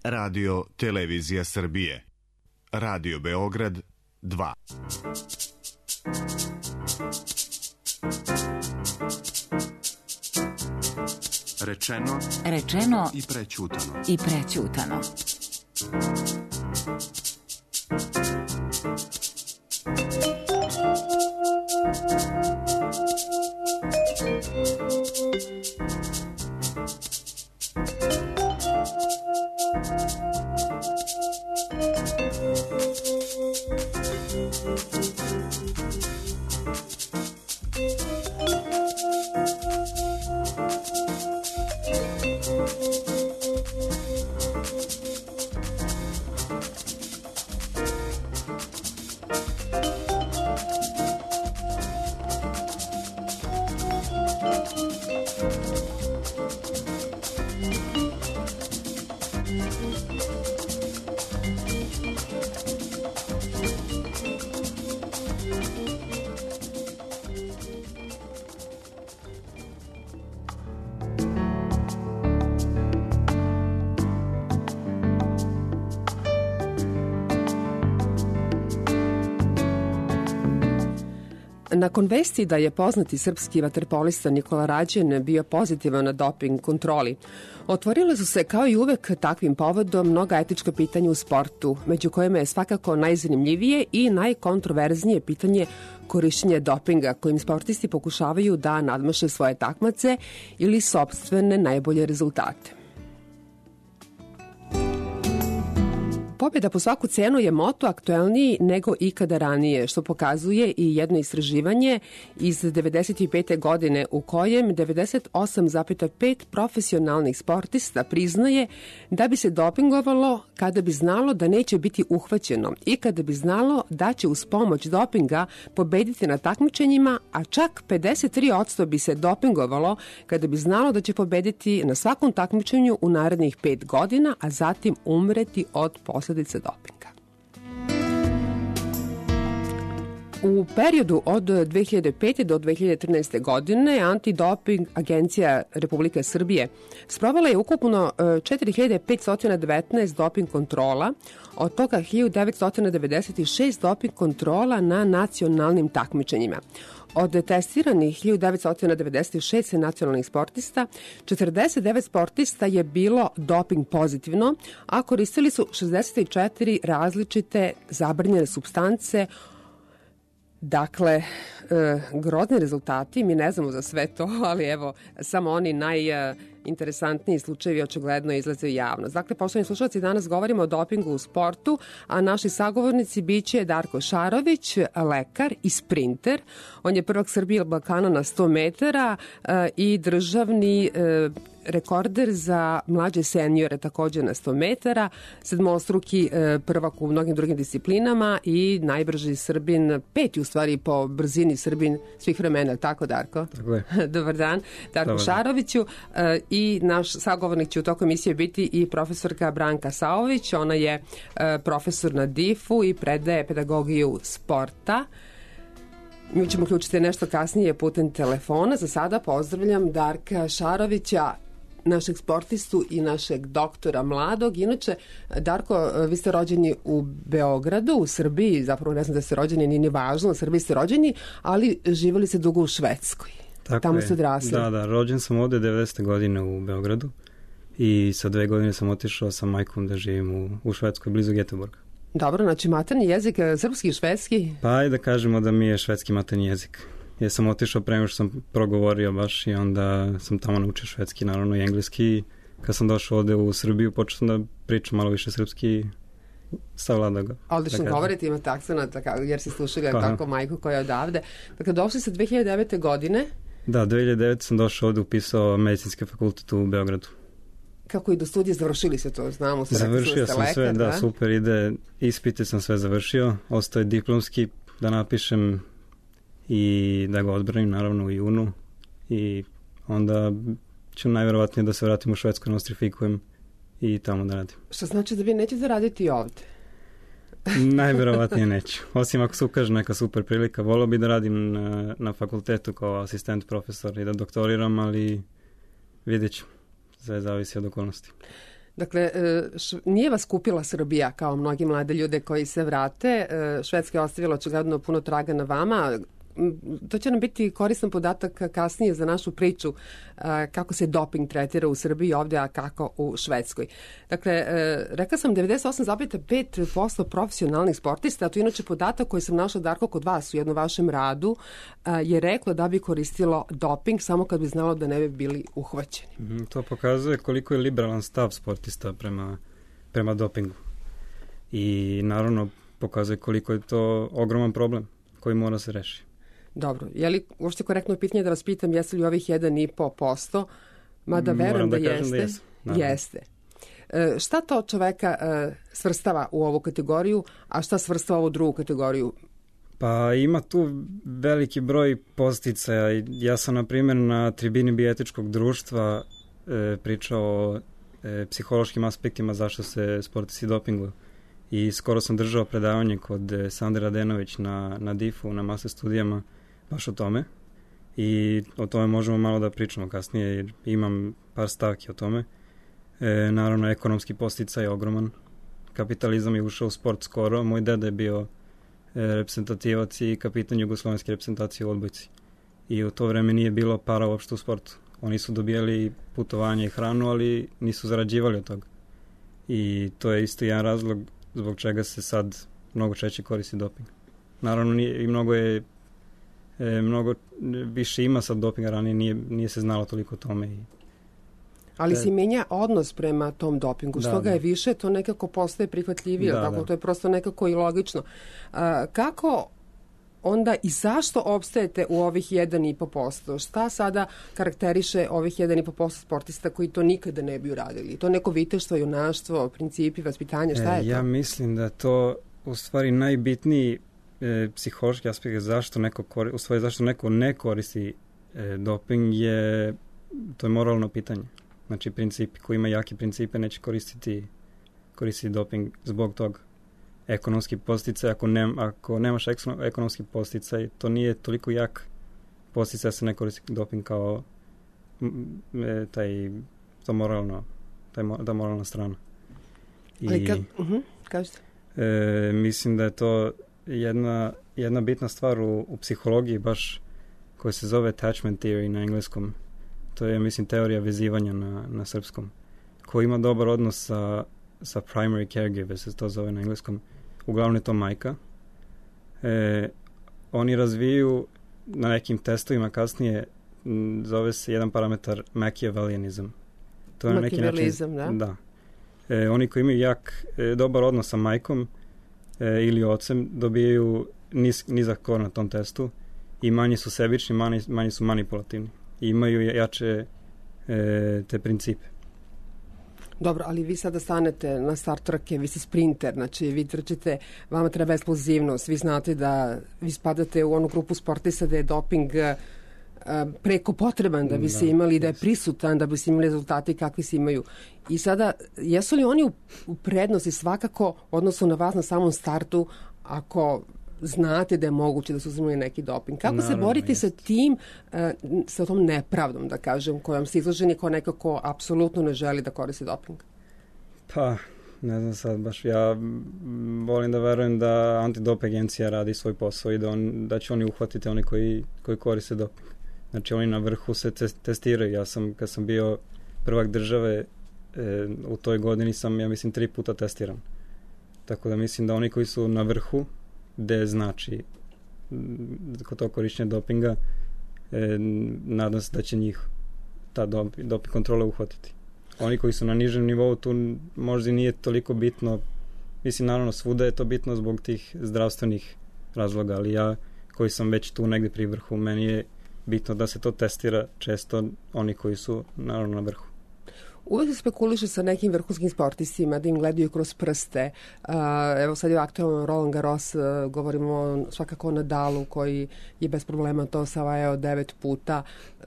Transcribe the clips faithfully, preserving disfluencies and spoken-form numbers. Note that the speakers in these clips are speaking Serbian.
Radio Televizija Srbije. Radio Beograd dva. Rečeno, rečeno i prećutano. I prećutano. Nakon vesti da je poznati srpski vaterpolista Nikola Rađen bio pozitivan na doping kontroli, otvorile su se kao i uvek takvim povodom mnoga etička pitanja u sportu, među kojima je svakako najzanimljivije i najkontroverznije pitanje korišćenja dopinga kojim sportisti pokušavaju da nadmaše svoje takmace ili sopstvene najbolje rezultate. Pobjeda po svaku cenu je moto aktuelniji nego ikada ranije, što pokazuje i jedno istraživanje iz devedeset pete. godine u kojem devedeset osam zarez pet profesionalnih sportista priznaje da bi se dopingovalo kada bi znalo da neće biti uhvaćeno i kada bi znalo da će uz pomoć dopinga pobediti na takmičenjima, a čak pedeset tri posto bi se dopingovalo kada bi znalo da će pobediti na svakom takmičenju u narednih pet godina, a zatim umreti od posledica dopinga. U periodu od dve hiljade pete. do dve hiljade trinaeste. godine Antidoping agencija Republike Srbije sprovela je ukupno četiri hiljade petsto devetnaest doping kontrola, od toga hiljadu devetsto devedeset šest doping kontrola na nacionalnim takmičenjima. Od testiranih hiljadu devetsto devedeset šest nacionalnih sportista, četrdeset devet sportista je bilo doping pozitivno, a koristili su šezdeset četiri različite zabranjene supstance. Dakle, e, grozni rezultati, mi ne znamo za sve to, ali evo, samo oni najinteresantniji slučajevi očigledno izlaze u javnost. Dakle, poštovani slušalci, danas govorimo o dopingu u sportu, a naši sagovornici biće Darko Šarović, lekar i sprinter. On je prvak Srbije Balkana na sto metara e, i državni e, rekorder za mlađe seniore takođe na sto metara, sedmostruki e, prvak u mnogim drugim disciplinama i najbrži Srbin, peti u stvari po brzini Srbin svih vremena, tako Darko? Tako je. Dobar dan, Darko Dobar. Šaroviću, e, i naš sagovornik će u toku emisije biti i profesorka Branka Saović, ona je e, profesor na D I F-u i predaje pedagogiju sporta. Mi ćemo uključiti nešto kasnije putem telefona. Za sada pozdravljam Darka Šarovića, našeg sportistu i našeg doktora mladog. Inače, Darko, vi ste rođeni u Beogradu, u Srbiji, zapravo ne znam da ste rođeni, nije ni važno, u Srbiji ste rođeni, ali živjeli ste dugo u Švedskoj. Tako Tamo je. ste odrasli. Da, da, rođen sam ovde devedesete. godine u Beogradu i sa dve godine sam otišao sa majkom da živim u, u Švedskoj, blizu Göteborga. Dobro, znači materni jezik, srpski i švedski? Pa ajde da kažemo da mi je švedski materni jezik. Ja sam otišao pre nego što sam progovorio baš i onda sam tamo naučio švedski, naravno i engleski. Kad sam došao ovde u Srbiju, počeo sam da pričam malo više srpski, savlada ga. Odlično da govorite, imate akcenat, jer si slušali pa, tako majku koja je odavde. Dakle, došli ste dve hiljade devete. godine? Da, dve hiljade devete. sam došao ovde, upisao medicinski fakultet u Beogradu. Kako i do studija, završili se to, znamo. Završio sam lekar, sve, da, da, super ide, ispite sam sve završio, ostao je diplomski da napišem i da ga odbranim naravno u junu i onda ću najverovatnije da se vratim u Švedsku, da nostrifikujem i tamo da radim. Što znači da vi nećete raditi ovde? Najverovatnije neću. Osim ako se ukaže neka super prilika. Volao bi da radim na, na fakultetu kao asistent profesor i da doktoriram, ali vidjet ću. Sve zavisi od okolnosti. Dakle, š, nije vas kupila Srbija kao mnogi mlade ljude koji se vrate. Švedska je ostavila očigledno puno traga na vama. To će nam biti koristan podatak kasnije za našu priču kako se doping tretira u Srbiji ovdje, a kako u Švedskoj. Dakle, rekla sam devedeset osam zarez pet posto profesionalnih sportista, a to je inače podatak koji sam našla, Darko, kod vas u jednom vašem radu, je reklo da bi koristilo doping samo kad bi znalo da ne bi bili uhvaćeni. Mm, to pokazuje koliko je liberalan stav sportista prema, prema dopingu. I naravno pokazuje koliko je to ogroman problem koji mora se rešiti. Dobro, je li uopšte korektno pitanje da vas pitam jeste li ovih jedan i po posto, mada verujem da, da jeste. Da jesu, jeste. E, šta to čoveka e, svrstava u ovu kategoriju, a šta svrstava u drugu kategoriju? Pa ima tu veliki broj posticaja. Ja sam, na primjer, na tribini Bietičkog društva e, pričao o e, psihološkim aspektima zašto se sportisti dopinguju. I skoro sam držao predavanje kod Sandre Radenović na, na D I F-u, na Master studijama, baš o tome. I o tome možemo malo da pričamo kasnije, jer imam par stavki o tome. E, naravno, ekonomski posticaj je ogroman. Kapitalizam je ušao u sport skoro. Moj deda je bio e, reprezentativac i kapitan jugoslovenske reprezentacije u odbojci. I u to vreme nije bilo para uopšte u sportu. Oni su dobijali putovanje i hranu, ali nisu zarađivali od toga. I to je isto jedan razlog zbog čega se sad mnogo češće koristi doping. Naravno, nije, i mnogo je e, mnogo više ima sad dopinga, ranije nije, nije se znalo toliko o tome. I, Ali e, se menja odnos prema tom dopingu. Što da, ga da. je više, to nekako postaje prihvatljivije. Da, tako, da. To je prosto nekako i logično. A, kako onda i zašto opstajete u ovih jedan i po posto? Šta sada karakteriše ovih jedan i po posto sportista koji to nikada ne bi uradili? To neko viteštvo, junaštvo, principi, vaspitanje, šta je e, to? Ja mislim da je to u stvari najbitniji e, psihološki aspekt zašto neko, kori, u stvari zašto neko ne koristi e, doping je, to je moralno pitanje. Znači, principi, ko ima jaki principe neće koristiti, koristiti doping zbog toga. Ekonomski posticaj, ako, ne, ako nemaš ekonomski posticaj, to nije toliko jak posticaj da se ne koristi doping kao e, taj, to moralno, taj, ta moralna strana. I, Ali kad, uh-huh, kažete? E, mislim da je to jedna, jedna bitna stvar u, u psihologiji, baš koja se zove attachment theory na engleskom. To je, mislim, teorija vezivanja na, na srpskom. Ko ima dobar odnos sa, sa primary caregiver, se to zove na engleskom. Uglavnom je to majka. E, oni razviju na nekim testovima kasnije, m, zove se jedan parametar Machiavellianizam. To je na neki način, da? Da. E, oni koji imaju jak, e, dobar odnos sa majkom e, ili ocem dobijaju niz, nizak skor na tom testu i manje su sebični, manje, manje su manipulativni. I imaju jače e, te principe. Dobro, ali vi sada stanete na start trke, vi ste sprinter, znači vi trčite, vama treba eksplozivnost, vi znate da vi spadate u onu grupu sportista da je doping preko potreban da bi se imali, da je prisutan, da bi se imali rezultati kakvi se imaju. I sada, jesu li oni u, u prednosti svakako odnosno na vas na samom startu ako znate da je moguće da su uzimali neki doping? Kako Naravno, se boriti jest. sa tim, sa tom nepravdom, da kažem, kojom se izloženi ko nekako apsolutno ne želi da koristi doping? Pa, ne znam sad, baš ja volim da verujem da antidoping agencija radi svoj posao i da, on, da će oni uhvatiti oni koji, koji koriste doping. Znači, oni na vrhu se te, testiraju. Ja sam, kad sam bio prvak države, e, u toj godini sam, ja mislim, tri puta testiran. Tako da mislim da oni koji su na vrhu, gde znači kod to korišćenja dopinga, e, nadam se da će njih ta doping, doping kontrola uhvatiti. Oni koji su na nižem nivou, tu možda nije toliko bitno, mislim, naravno svuda je to bitno zbog tih zdravstvenih razloga, ali ja koji sam već tu negde pri vrhu, meni je bitno da se to testira često oni koji su naravno na vrhu. Uvek se spekuliše sa nekim vrhunskim sportistima da im gledaju kroz prste. Uh, evo sad je aktualno Roland Garros, uh, govorimo svakako o Nadalu koji je bez problema to osvajao devet puta, uh,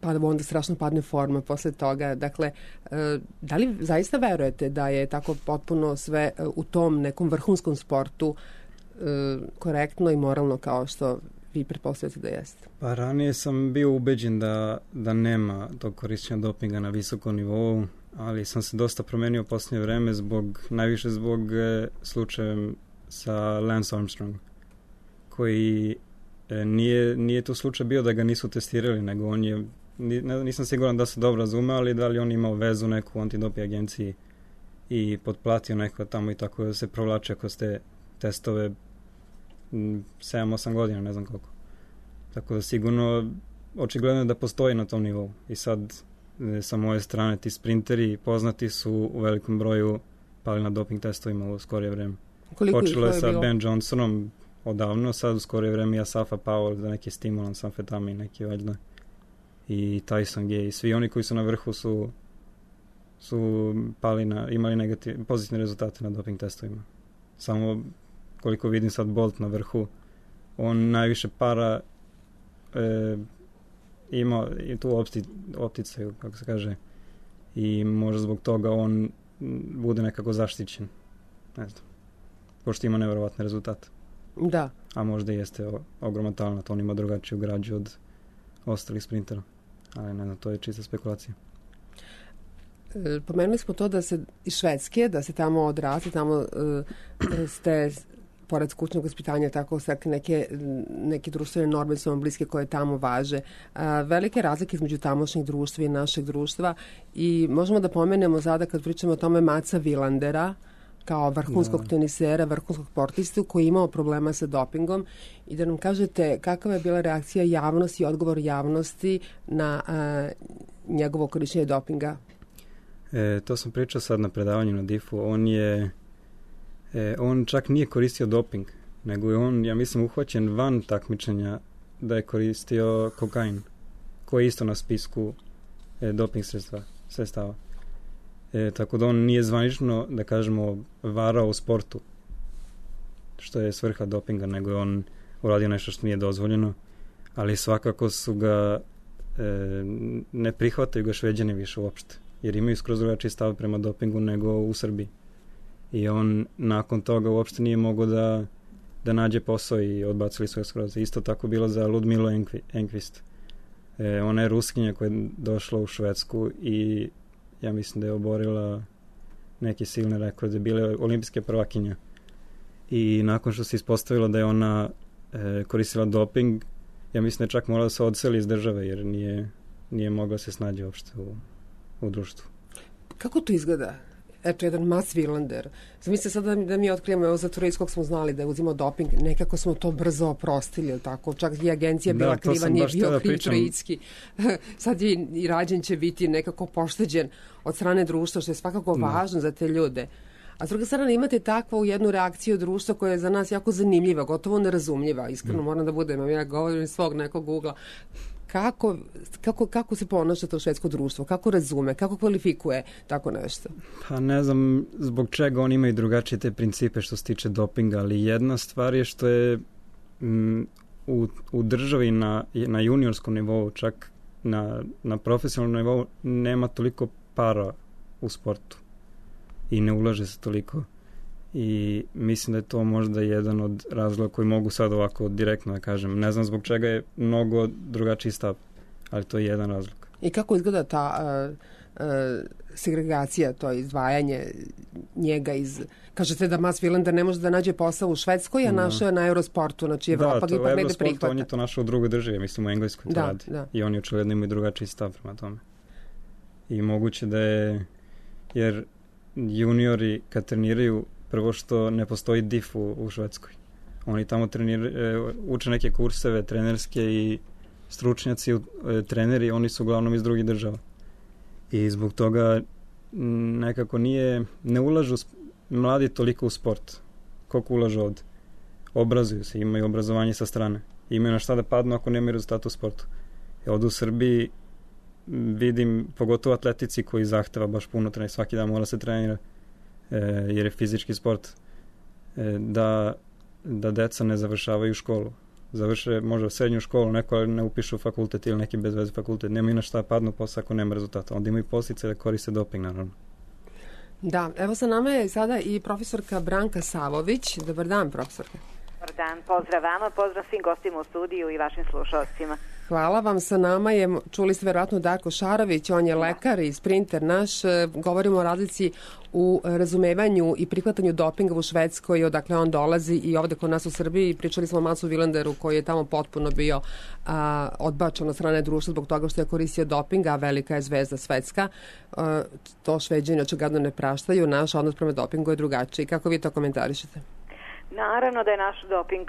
pa onda strašno padne forma posle toga. Dakle, uh, da li zaista verujete da je tako potpuno sve uh, u tom nekom vrhunskom sportu uh, korektno i moralno kao što vi pretpostavljate da jeste? Pa ranije sam bio ubeđen da, da nema tog korišćenja dopinga na visokom nivou ali sam se dosta promenio u posljednje vreme zbog, najviše zbog e, slučajem sa Lance Armstrong, koji e, nije, nije tu slučaj bio da ga nisu testirali, nego on je, nisam siguran da se dobro razume, ali da li on imao vezu neku u antidoping agenciji i potplatio neko tamo i tako da se provlače kroz te testove sedam osam godina, ne znam koliko. Tako da sigurno očigledno je da postoji na tom nivou. I sad sa moje strane ti sprinteri poznati su u velikom broju pali na doping testovima u skorije vreme. Koliko Počelo je sa bilo? Ben Johnsonom odavno, sad u skorije vreme i Asafa Powell za neki stimulans, amfetamin neki valjda. I Tyson Gay. I svi oni koji su na vrhu su su pali na, imali negativ, pozitivne rezultate na doping testovima. Samo koliko vidim sad Bolt na vrhu, on najviše para e, ima i tu opti, opticaju, kako se kaže, i možda zbog toga on bude nekako zaštićen. Ne znam. Pošto ima nevjerovatne rezultate. Da. A možda jeste ogroman talent, on ima drugačiju građu od ostalih sprintera. Ali ne znam, to je čista spekulacija. Pomenuli smo to da se iz Švedske, da se tamo odrasli, tamo uh, ste pored kućnog vaspitanja tako stekli neke, neke društvene norme su vam bliske koje tamo važe. Uh, velike razlike između tamošnjeg društva i našeg društva i možemo da pomenemo sada kad pričamo o tome Matsa Vilandera kao vrhunskog da. tenisera, vrhunskog sportistu koji je imao problema sa dopingom i da nam kažete kakva je bila reakcija javnosti i odgovor javnosti na uh, njegovo korišćenje dopinga. E, to sam pričao sad na predavanju na D I F-u. On je e, on čak nije koristio doping, nego je on, ja mislim, uhvaćen van takmičenja da je koristio kokain, koji je isto na spisku e, doping sredstva, sredstava. E, tako da on nije zvanično, da kažemo, varao u sportu, što je svrha dopinga, nego je on uradio nešto što nije dozvoljeno, ali svakako su ga e, ne prihvataju ga Šveđani više uopšte, jer imaju skroz drugačiji stav prema dopingu nego u Srbiji. I on nakon toga uopšte nije mogao da, da nađe posao i odbacili su ga skroz. Isto tako bilo za Ludmilu Enqvist. E, ona je Ruskinja koja je došla u Švedsku i ja mislim da je oborila neke silne rekorde, bile olimpijske prvakinja. I nakon što se ispostavilo da je ona e, koristila doping, ja mislim da je čak morala da se odseli iz države, jer nije, nije mogla se snađe uopšte u, u društvu. Kako to izgleda? Eto, jedan Mats Wilander. Zamislite sad da, da mi otkrijemo, evo za Turejskog smo znali da je uzimao doping, nekako smo to brzo oprostili, tako? Čak i agencija bila da, kriva, nije bio kriv Trojicki. Sad je i Rađen će biti nekako pošteđen od strane društva, što je svakako da. važno za te ljude. A s druge strane imate takvu jednu reakciju društva koja je za nas jako zanimljiva, gotovo nerazumljiva. Iskreno mm. moram da budem, ja govorim iz svog nekog ugla. Kako, kako, kako se ponaša to švedsko društvo? Kako razume? Kako kvalifikuje tako nešto? Pa ne znam zbog čega oni imaju drugačije te principe što se tiče dopinga, ali jedna stvar je što je m, u, u državi na, na juniorskom nivou, čak na, na profesionalnom nivou, nema toliko para u sportu i ne ulaže se toliko. I mislim da je to možda jedan od razloga koji mogu sad ovako direktno da kažem. Ne znam zbog čega je mnogo drugačiji stav, ali to je jedan razlog. I kako izgleda ta uh, uh, segregacija, to izdvajanje njega iz... Kažete da Mats Wilander ne može da nađe posao u Švedskoj, a no. našao je na Eurosportu, znači Evropa ga ipak negde prihvata. On je to našao u drugoj državi, mislim u Engleskoj to da, radi. Da. I oni očigledno imaju drugačiji stav prema tome. I moguće da je... Jer juniori kad treniraju, prvo što ne postoji D I F u, u Švedskoj. Oni tamo treniraju, uče neke kurseve trenerske i stručnjaci, treneri, oni su uglavnom iz drugih država. I zbog toga nekako nije, ne ulažu mladi toliko u sport. Koliko ulažu ovde? Obrazuju se, imaju obrazovanje sa strane. Imaju na šta da padnu ako nemaju rezultata u sportu. I ovde u Srbiji vidim, pogotovo atletici koji zahteva baš puno trenira, svaki dan mora se trenira, e, jer je fizički sport, e, da, da deca ne završavaju školu. Završe možda srednju školu, neko ali ne upišu fakultet ili neki bez veze fakultet. Nemaju na šta padnu posle ako nema rezultata. Onda imaju posljedice da koriste doping, naravno. Da, evo sa nama je sada i profesorka Branka Savović. Dobar dan, profesorka. Dobar dan, pozdrav vama, pozdrav svim gostima u studiju i vašim slušalcima. Hvala vam. Sa nama je, čuli ste verovatno, Darko Šarović, on je lekar i sprinter naš. Govorimo o razlici u razumevanju i prihvatanju dopinga u Švedskoj, odakle on dolazi, i ovde kod nas u Srbiji. Pričali smo o Matsu Vilanderu koji je tamo potpuno bio a, odbačen od strane društva zbog toga što je koristio dopinga, a velika je zvezda svetska. A, to Šveđani očigledno ne praštaju. Naš odnos prema dopingu je drugačiji. Kako vi to komentarišete? Naravno da je naš doping,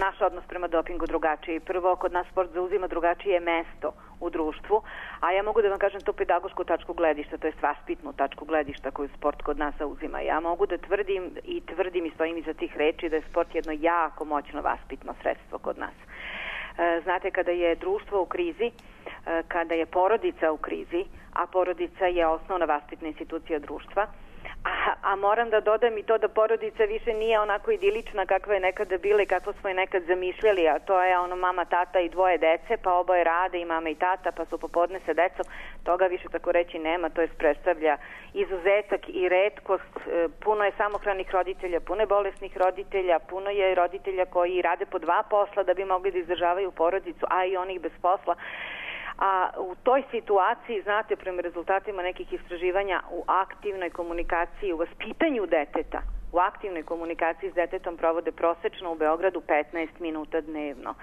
naš odnos prema dopingu drugačiji. Prvo, kod nas sport zauzima drugačije mesto u društvu, a ja mogu da vam kažem to pedagošku tačku gledišta, to je vaspitnu tačku gledišta koju sport kod nas zauzima. Ja mogu da tvrdim i tvrdim i stojim iza tih reči da je sport jedno jako moćno vaspitno sredstvo kod nas. Znate, kada je društvo u krizi, kada je porodica u krizi, a porodica je osnovna vaspitna institucija društva, A, a moram da dodam i to da porodica više nije onako idilična kakva je nekada bila i kakvo smo je nekad zamišljali, a to je ono mama, tata i dvoje dece, pa oboje rade i mama i tata, pa su popodne sa decom. Toga više tako reći nema, to je predstavlja izuzetak i retkost. Puno je samohranih roditelja, puno je bolesnih roditelja, puno je roditelja koji rade po dva posla da bi mogli da izdržavaju porodicu, a i onih bez posla. A u toj situaciji, znate, prema rezultatima nekih istraživanja, u aktivnoj komunikaciji, u vaspitanju deteta, u aktivnoj komunikaciji s detetom provode prosečno u Beogradu petnaest minuta dnevno.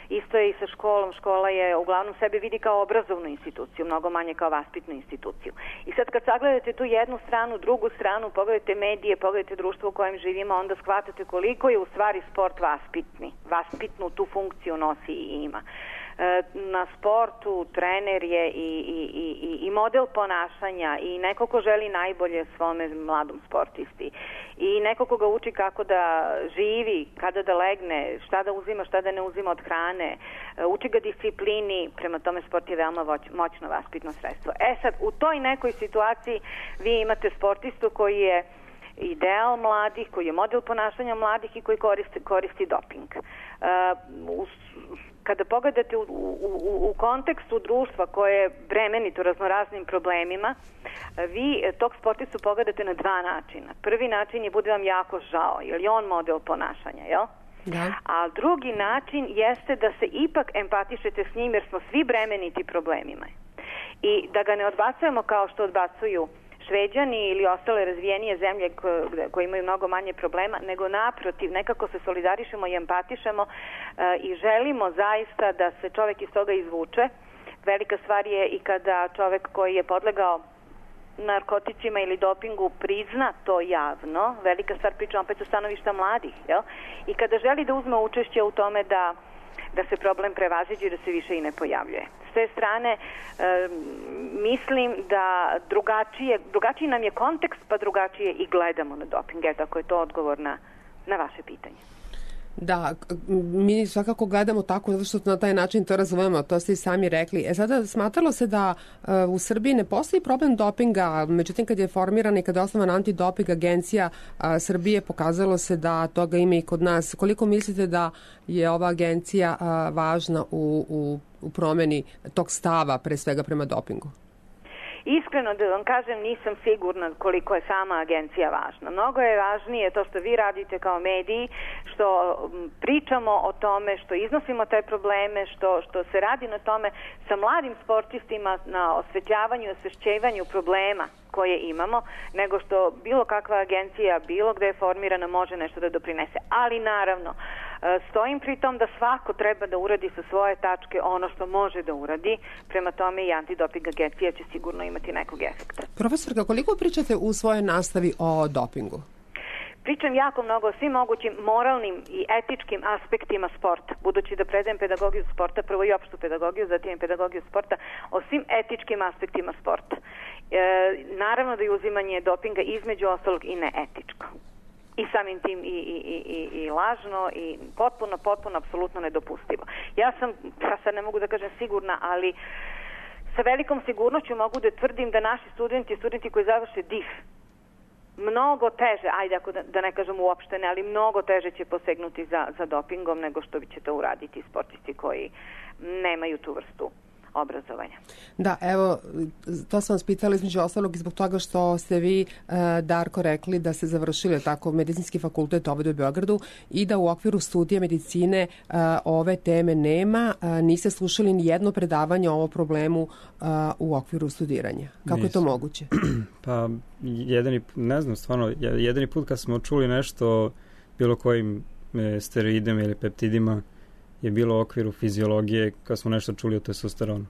Isto je i sa školom. Škola je uglavnom sebe vidi kao obrazovnu instituciju, mnogo manje kao vaspitnu instituciju. I sad kad sagledate tu jednu stranu, drugu stranu, pogledajte medije, pogledajte društvo u kojem živimo, onda shvatate koliko je u stvari sport vaspitni. Vaspitnu tu funkciju nosi i ima. Na sportu trener je i, i, i, i model ponašanja i neko ko želi najbolje svome mladom sportisti i neko ko ga uči kako da živi, kada da legne, šta da uzima, šta da ne uzima od hrane, uči ga disciplini. Prema tome sport je veoma moćno vaspitno sredstvo. E sad, u toj nekoj situaciji vi imate sportistu koji je ideal mladih, koji je model ponašanja mladih i koji koristi, koristi doping. Uh, u, kada pogledate u, u, u kontekstu društva koje je bremenito raznoraznim problemima, vi tog sportistu pogledate na dva načina. Prvi način je, bude vam jako žao, jer je on model ponašanja, jel? Da. A drugi način jeste da se ipak empatišete s njim, jer smo svi bremeniti problemima. I da ga ne odbacujemo kao što odbacuju Šveđani ili ostale razvijenije zemlje koje, koje imaju mnogo manje problema, nego naprotiv, nekako se solidarišemo i empatišemo e, i želimo zaista da se čovek iz toga izvuče. Velika stvar je i kada čovek koji je podlegao narkoticima ili dopingu prizna to javno. Velika stvar, pričam opet u stanovišta mladih, jel? I kada želi da uzme učešće u tome da da se problem prevaziđe i da se više i ne pojavljuje. S te strane, e, mislim da drugačije, drugačiji nam je kontekst, pa drugačije i gledamo na doping. Eto, ako je to odgovor na, na vaše pitanje. Da, mi svakako gledamo tako zato što na taj način to razumemo, to ste i sami rekli. E sada, smatralo se da uh, u Srbiji ne postoji problem dopinga, međutim kad je formirana i kad je osnovana antidoping agencija uh, Srbije, pokazalo se da toga ima i kod nas. Koliko mislite da je ova agencija uh, važna u, u, u promeni tog stava, pre svega prema dopingu? Iskreno da vam kažem, nisam sigurna koliko je sama agencija važna. Mnogo je važnije to što vi radite kao mediji, što pričamo o tome, što iznosimo te probleme, što, što se radi na tome sa mladim sportistima, na osvetljavanju i osvešćivanju problema koje imamo, nego što bilo kakva agencija, bilo gde je formirana, može nešto da doprinese. Ali naravno, stojim pri tom da svako treba da uradi sa svoje tačke ono što može da uradi. Prema tome i antidoping agencija će sigurno imati nekog efekta. Profesorka, koliko pričate u svojoj nastavi o dopingu? Pričam jako mnogo o svim mogućim moralnim i etičkim aspektima sporta. Budući da predajem pedagogiju sporta, prvo i opštu pedagogiju, zatim i pedagogiju sporta, o svim etičkim aspektima sporta. E, naravno da je uzimanje dopinga između ostalog i neetičko. I samim tim i, i, i, i lažno i potpuno, potpuno, apsolutno nedopustivo. Ja sam, ja sad ne mogu da kažem sigurna, ali sa velikom sigurnošću mogu da tvrdim da naši studenti, studenti koji završe D I F, mnogo teže, ajde ako da, da ne kažem uopšte ne, ali mnogo teže će posegnuti za, za dopingom nego što će to uraditi sportisti koji nemaju tu vrstu obrazovanja. Da, evo, to sam vas pitala između ostalog i zbog toga što ste vi, Darko, rekli da ste završili tako medicinski fakultet ovdje u Beogradu i da u okviru studija medicine ove teme nema, niste slušali ni jedno predavanje o ovom problemu u okviru studiranja. Kako Nisam. je to moguće? Pa, jedini, ne znam, stvarno, jedini put kad smo čuli nešto o bilo kojim steroidima ili peptidima je bilo u okviru fiziologije kad smo nešto čuli o testosteronu.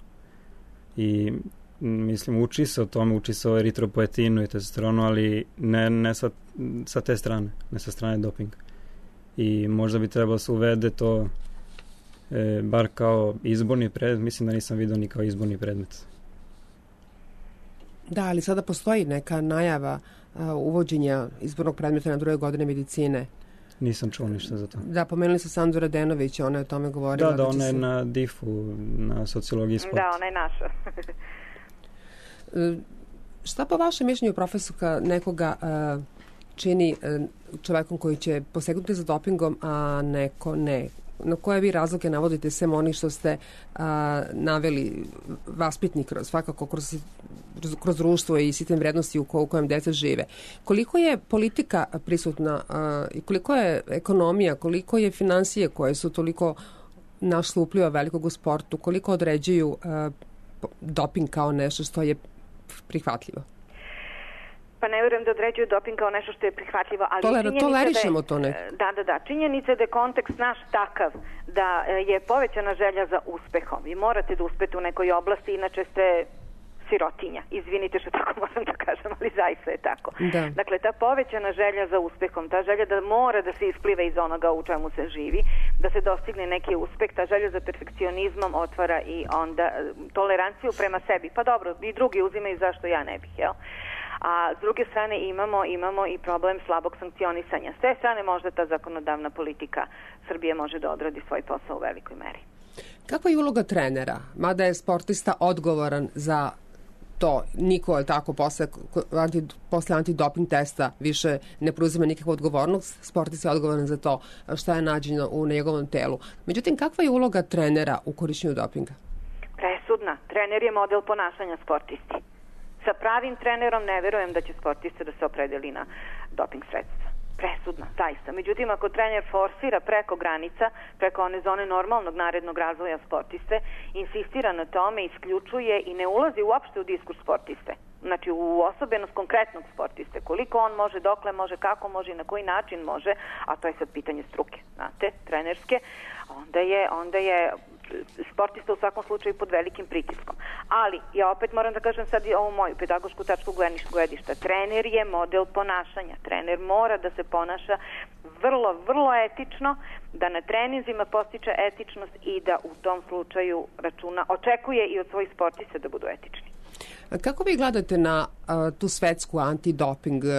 I mislim, uči se o tome, uči se o eritropoetinu i testosteronu, ali ne, ne sa, sa te strane, ne sa strane dopinga. I možda bi trebalo se uvede to e, bar kao izborni predmet, mislim da nisam vidio ni kao izborni predmet. Da, ali sada postoji neka najava a, uvođenja izbornog predmeta na druge godine medicine. Nisam čuo ništa za to. Da, pomenuli su Sandu Radenović, ona je o tome govorila. Da, da, ona je se... na difu, na sociologiji sporta. Da, ona je naša. Šta po vašem mišljenju, profesorka, nekoga uh, čini uh, čovekom koji će posegnuti za dopingom, a neko ne? Na koje vi razloge navodite sem onih što ste uh, naveli vaspitni kroz, svakako kroz, kroz društvo i sistem vrednosti u, ko, u kojem deca žive? Koliko je politika prisutna uh, i koliko je ekonomija, koliko je finansije koje su toliko našle upliva velikog u sportu, koliko određuju uh, doping kao nešto što je prihvatljivo? Pa ne vjerujem da određuju doping kao nešto što je prihvatljivo, ali Toler, činjenica tolerišemo da je, to ne. Da, da, da. Činjenica je da je kontekst naš takav da je povećana želja za uspehom. Vi morate da uspete u nekoj oblasti, inače ste sirotinja. Izvinite što tako moram da kažem, ali zaista je tako. Da. Dakle, ta povećana želja za uspehom, ta želja da mora da se isplive iz onoga u čemu se živi, da se dostigne neki uspeh, ta želja za perfekcionizmom otvara i onda toleranciju prema sebi. Pa dobro, i drugi uzimaju, zašto ja ne bih, jel? A s druge strane imamo, imamo i problem slabog sankcionisanja. S te strane možda ta zakonodavna politika Srbije može da odradi svoj posao u velikoj meri. Kakva je uloga trenera? Mada je sportista odgovoran za to, niko je tako posle, anti, posle antidoping testa više ne preuzima nikakvu odgovornost, sportista je odgovoran za to šta je nađeno u njegovom telu. Međutim, kakva je uloga trenera u korišćenju dopinga? Presudna. Trener je model ponašanja sportisti. Sa pravim trenerom ne verujem da će sportista da se opredeli na doping sredstva. Presudna, zaista. Međutim, ako trener forsira preko granica, preko one zone normalnog narednog razvoja sportiste, insistira na tome, isključuje i ne ulazi uopšte u diskurs sportiste. Znači, u osobenost konkretnog sportiste. Koliko on može, dokle može, kako može i na koji način može, a to je sad pitanje struke, znate, trenerske, onda je, onda je sportista u svakom slučaju pod velikim pritiskom. Ali, ja opet moram da kažem sad i ovu moju pedagošku tačku gledišta. Trener je model ponašanja. Trener mora da se ponaša vrlo, vrlo etično, da na treninzima postiče etičnost i da u tom slučaju računa, očekuje i od svojih sportista da budu etični. Kako vi gledate na uh, tu svetsku antidoping uh,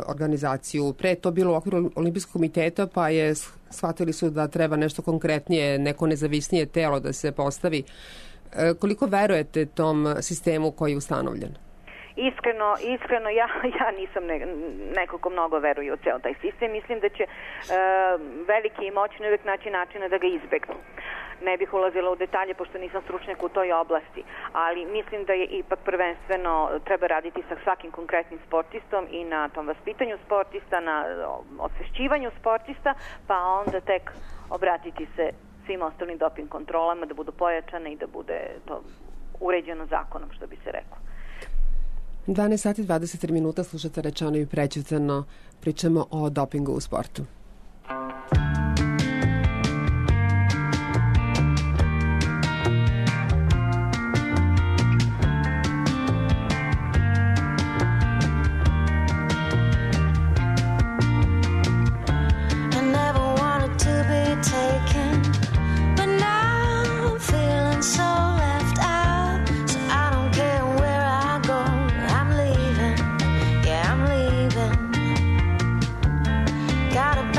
organizaciju? Pre je to bilo u okviru Olimpijskog komiteta, pa je shvatili su da treba nešto konkretnije, neko nezavisnije telo da se postavi. Uh, koliko verujete tom sistemu koji je ustanovljen? Iskreno, iskreno ja, ja nisam ne, neko ko mnogo veruje u ceo taj sistem. Mislim da će uh, veliki i moćni uvijek naći načina da ga izbegnu. Ne bih ulazila u detalje pošto nisam stručnjak u toj oblasti, ali mislim da je ipak prvenstveno treba raditi sa svakim konkretnim sportistom i na tom vaspitanju sportista, na osvešćivanju sportista, pa onda tek obratiti se svim ostalim doping kontrolama da budu pojačane i da bude to uređeno zakonom, što bi se reklo. dvanaest sati dvadeset tri minuta, slušate Rečeno i Prećutano, pričamo o dopingu u sportu. Gotta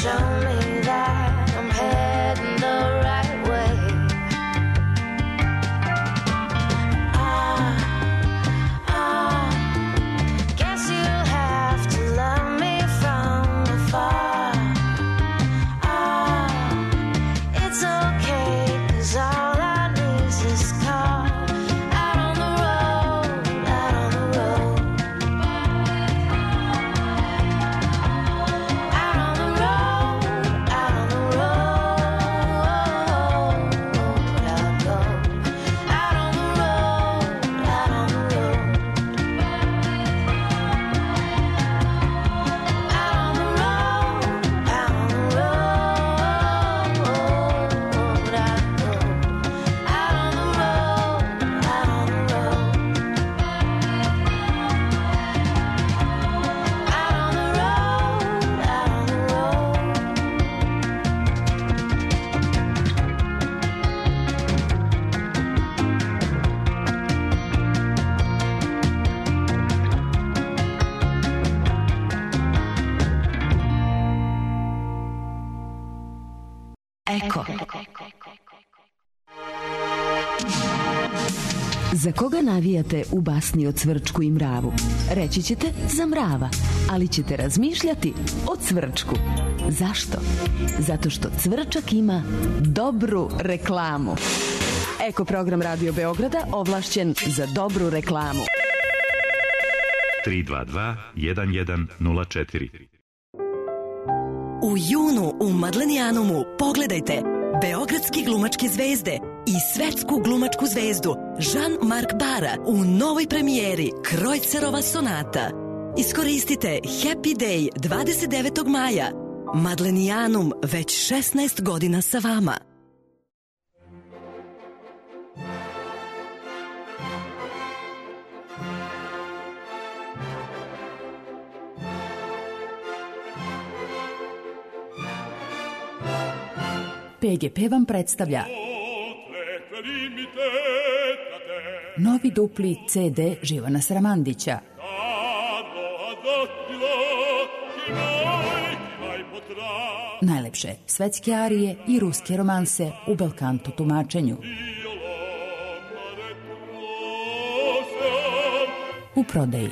show me that I'm heading the right way. Ah, ah, guess you'll have to love me from afar. Ah, it's okay, 'cause all I need is this car. Out on the road, out on the road. Out on the road, out on the road. I'll go. Out on the road, out on the road. Out on the road, out on the road. I'll go. Out on the road, out on the road. Out on the road, out on the road. Eko. Za koga navijate u basni o Cvrčku i mravu? Reći ćete za mrava, ali ćete razmišljati o Cvrčku. Zašto? Zato što Cvrčak ima dobru reklamu. Eko program Radio Beograda ovlašćen za dobru reklamu. tri dva dva jedan jedan nula četiri. U junu u Madlenijanumu pogledajte beogradski glumačke zvezde i svetsku glumačku zvezdu Jean-Marc Bara u novoj premijeri Krojcerova sonata. Iskoristite Happy Day dvadeset devetog maja. Madlenijanum već šesnaest godina sa vama. P G P vam predstavlja novi dupli C D Živana Sramandića. Najlepše svetske arije i ruske romanse u belkanto tumačenju. U prodaji.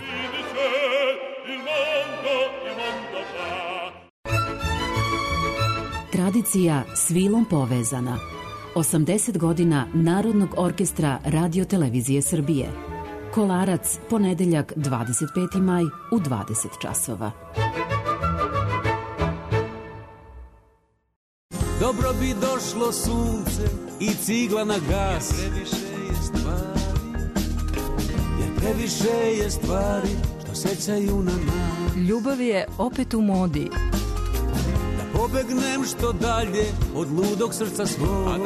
Tradicija s vilom povezana. osamdeset godina Narodnog orkestra Radio Televizije Srbije. Kolarac, ponedeljak dvadeset peti maj u dvadeset časova. Dobro bi došlo sunce i cigla na gas. Jer previše je stvari, jer previše je stvari što sećaju na nas. Ljubav je opet u modi. Pobegnem što dalje od ludog srca svog.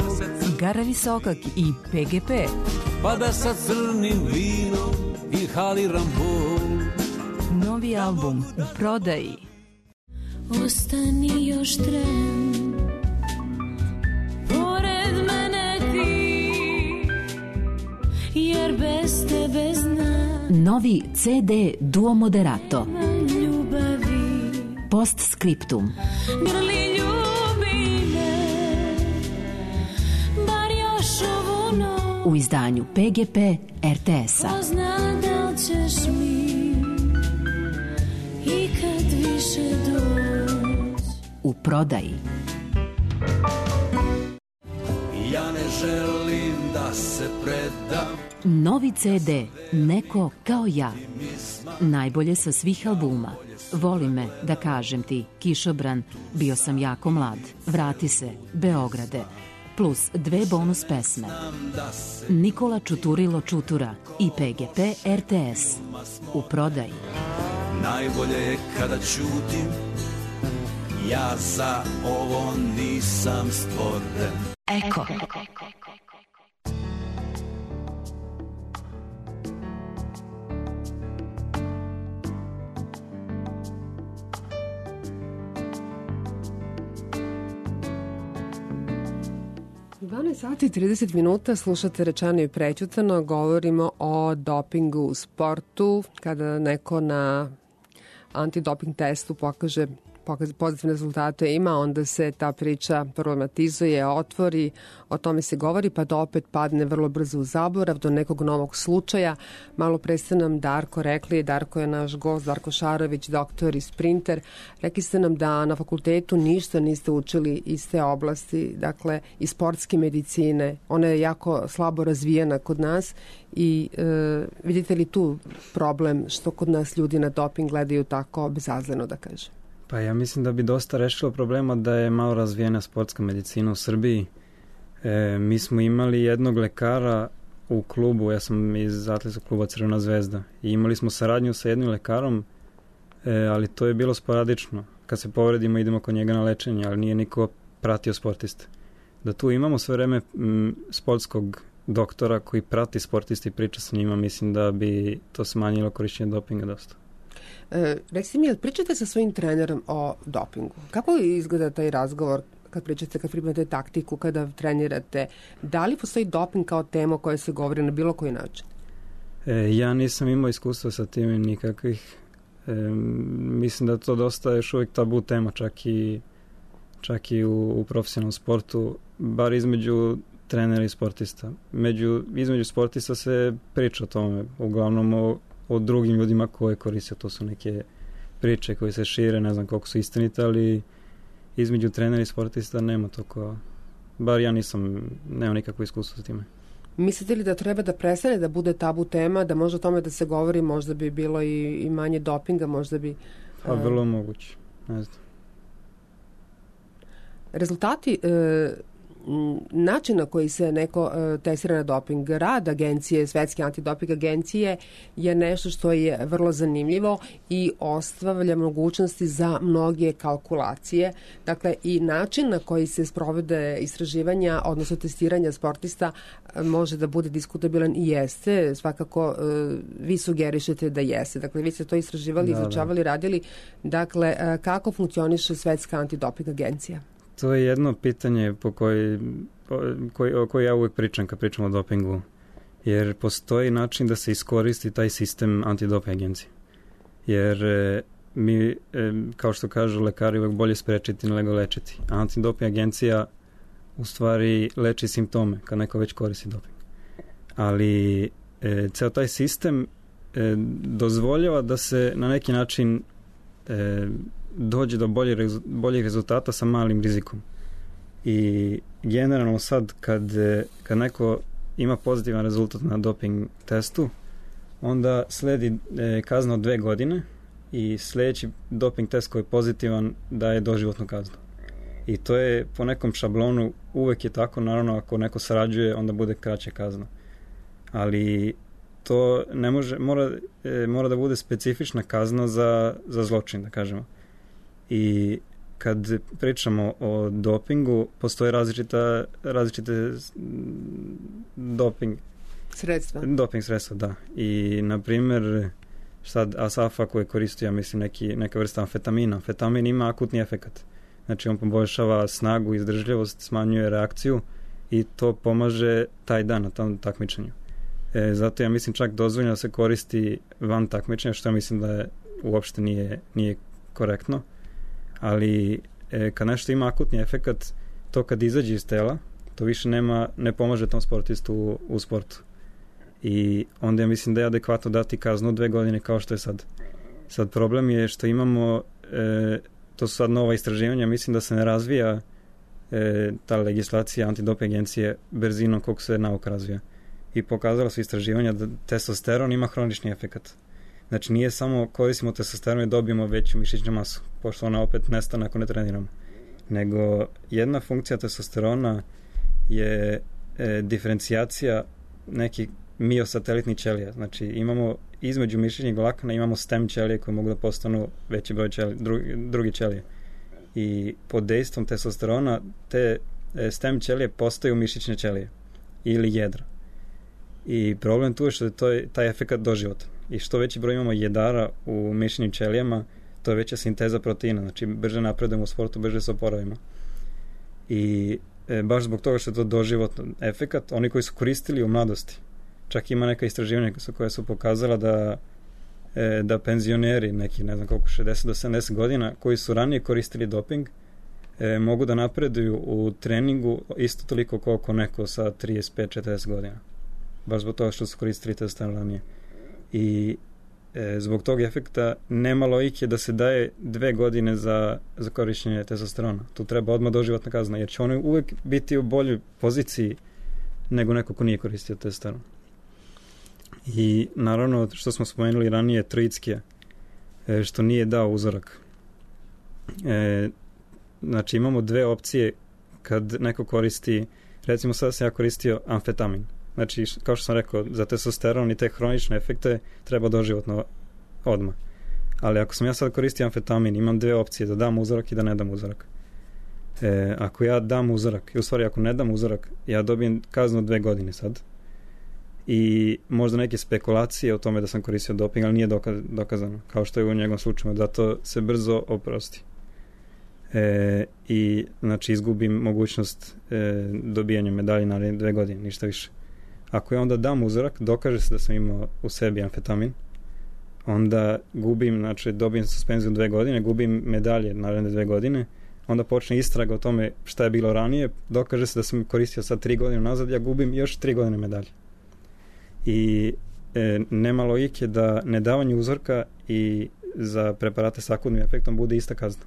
Gara Visokak i P G P. Pa da sa crnim vinom inhaliram bol. Novi album u prodaji. Ostani još tren, pored mene ti, jer bez tebe znam. Novi C D Duo Moderato. Ljubavi. Postscriptum. Grli ljubi me, bar još ovu noć. U izdanju P G P R T S-a. Ko zna da li ćeš mi ikad više doći. U prodaji. Ja ne želim da se predam. Novi C D Neko kao ja. Najbolje sa svih albuma. Voli me, da kažem ti, Kišobran, bio sam jako mlad, vrati se, Beograde, plus dve bonus pesme. Nikola Čuturilo Čutura i P G P R T S. U prodaji. Najbolje je kada ćutim, ja za ovo nisam stvoren. Eko. dvanaest sati i trideset minuta, slušate Rečeno i prećutano, govorimo o dopingu u sportu, kada neko na antidoping testu pokaže pozitivne rezultate ima, onda se ta priča problematizuje, otvori, o tome se govori, pa da opet padne vrlo brzo u zaborav do nekog novog slučaja. Malo pre ste nam Darko rekli, Darko je naš gost, Darko Šarović, doktor i sprinter. Rekli ste nam da na fakultetu ništa niste učili iz te oblasti, dakle iz sportske medicine. Ona je jako slabo razvijena kod nas i e, vidite li tu problem što kod nas ljudi na doping gledaju tako bezazleno, da kažem? Pa ja mislim da bi dosta rešilo problema da je malo razvijena sportska medicina u Srbiji. E, mi smo imali jednog lekara u klubu, ja sam iz atletskog kluba Crvena zvezda, i imali smo saradnju sa jednim lekarom, e, ali to je bilo sporadično. Kad se povredimo idemo kod njega na lečenje, ali nije niko pratio sportiste. Da tu imamo sve vreme m, sportskog doktora koji prati sportiste i priča sa njima, mislim da bi to smanjilo korišćenje dopinga dosta. E, Rekli mi, pričate sa svojim trenerom o dopingu. Kako izgleda taj razgovor kad pričate, kad pripremate taktiku, kada trenirate? Da li postoji doping kao tema o kojoj se govori na bilo koji način? E, ja nisam imao iskustva sa tim nikakvih. E, mislim da to dosta još uvijek tabu tema, čak i, čak i u, u profesionalnom sportu, bar između trenera i sportista. Među, između sportista se priča o tome, uglavnom o, o drugim ljudima koje koriste. To su neke priče koje se šire, ne znam koliko su istinite, ali između trenera i sportista nema toliko, bar ja nisam, nemam nikakvo iskustvo sa time. Mislite li da treba da prestane da bude tabu tema, da može o tome da se govori, možda bi bilo i, i manje dopinga, možda bi... Pa vrlo uh, moguće, ne znam. Rezultati... Uh, način na koji se neko uh, testira na doping, rad agencije, Svetske antidoping agencije je nešto što je vrlo zanimljivo i ostavlja mogućnosti za mnoge kalkulacije. Dakle, i način na koji se sprovode istraživanja, odnosno testiranja sportista uh, može da bude diskutabilan i jeste. Svakako, uh, vi sugerišete da jeste. Dakle, vi ste to istraživali, da, izučavali, da. radili. Dakle, uh, kako funkcioniše Svetska antidoping agencija? To je jedno pitanje po koji, po, koji, o kojoj ja uvijek pričam kad pričam o dopingu, jer postoji način da se iskoristi taj sistem antidoping agencije. Jer e, mi, e, kao što kažu lekari, uvijek bolje sprečiti nego lečiti. A antidoping agencija u stvari leči simptome kad neko već koristi doping. Ali e, ceo taj sistem e, dozvoljava da se na neki način e, dođe do boljih, boljih rezultata sa malim rizikom. I generalno sad kad, kad neko ima pozitivan rezultat na doping testu, onda sledi e, kazna od dve godine i sljedeći doping test koji je pozitivan daje doživotnu kaznu. I to je po nekom šablonu, uvek je tako, naravno ako neko sarađuje onda bude kraća kazna. Ali to ne može, mora, e, mora da bude specifična kazna za, za zločin, da kažemo. I kad pričamo o dopingu, postoje različita, različite doping sredstva. Doping sredstva, da. I, na primjer, sad Asafa koji koristio, ja mislim, neki, neka vrsta amfetamina. Amfetamin ima akutni efekat. Znači, on poboljšava snagu, izdržljivost, smanjuje reakciju i to pomaže taj dan na tom takmičenju. E, zato ja mislim čak dozvoljeno da se koristi van takmičenja, što ja mislim da je, uopšte nije, nije korektno. Ali e, kad nešto ima akutni efekat, to kad izađe iz tela, to više nema, ne pomaže tom sportistu u, u sportu. I onda ja mislim da je adekvatno dati kaznu dve godine kao što je sad. Sad problem je što imamo, e, to su sad nova istraživanja, mislim da se ne razvija e, ta legislacija antidoping agencije brzinom koliko se nauka razvija. I pokazala su istraživanja da testosteron ima hronični efekat. Znači nije samo koristimo testosteron i dobijemo veću mišićnu masu, pošto ona opet nestane ako ne treniramo. Nego jedna funkcija testosterona je e, diferencijacija nekih miosatelitnih ćelija. Znači imamo između mišićnih vlakana imamo stem ćelije koje mogu da postanu veći broj ćelije, drugi, drugi ćelije. I pod dejstvom testosterona te e, stem ćelije postaju mišićne ćelije ili jedra. I problem tu je što je to, taj efekat doživotan. I što veći broj imamo jedara u mišićnim ćelijama, to je veća sinteza proteina. Znači, brže napredujemo u sportu, brže se oporavimo. I e, baš zbog toga što je to doživotan efekat, oni koji su koristili u mladosti, čak ima neka istraživanja koja su pokazala da e, da penzioneri, neki ne znam koliko, šezdeset do sedamdeset godina, koji su ranije koristili doping, e, mogu da napreduju u treningu isto toliko koliko neko sa trideset pet četrdeset godina. Baš zbog toga što su koristili testosteron ranije. I e, zbog tog efekta nema logike da se daje dve godine za, za korišćenje testosterona. Tu treba odmah doživotna kazna, jer će oni uvek biti u boljoj poziciji nego neko ko nije koristio testosteron. I naravno, što smo spomenuli ranije, Troickija, e, što nije dao uzorak. E, znači, imamo dve opcije kad neko koristi, recimo sada sam ja koristio amfetamin. Znači, kao što sam rekao, za testosteron i te hronične efekte treba doživotno odmah. Ali ako sam ja sad koristio amfetamin, imam dve opcije, da dam uzorak i da ne dam uzorak. E, ako ja dam uzorak, i u stvari ako ne dam uzorak, ja dobijem kaznu dve godine sad. I možda neke spekulacije o tome da sam koristio doping, ali nije dokaz, dokazano, kao što je u njegovom slučaju, da to se brzo oprosti. E, I znači izgubim mogućnost e, dobijanja medalje na dve godine, ništa više. Ako ja onda dam uzorak, dokaže se da sam imao u sebi amfetamin, onda gubim, znači dobijem suspenziju dve godine, gubim medalje naredne dve godine, onda počne istraga o tome šta je bilo ranije, dokaže se da sam koristio sad tri godine nazad, ja gubim još tri godine medalje. I e, nema logike da nedavanje uzorka i za preparate s akutnim efektom bude ista kazna.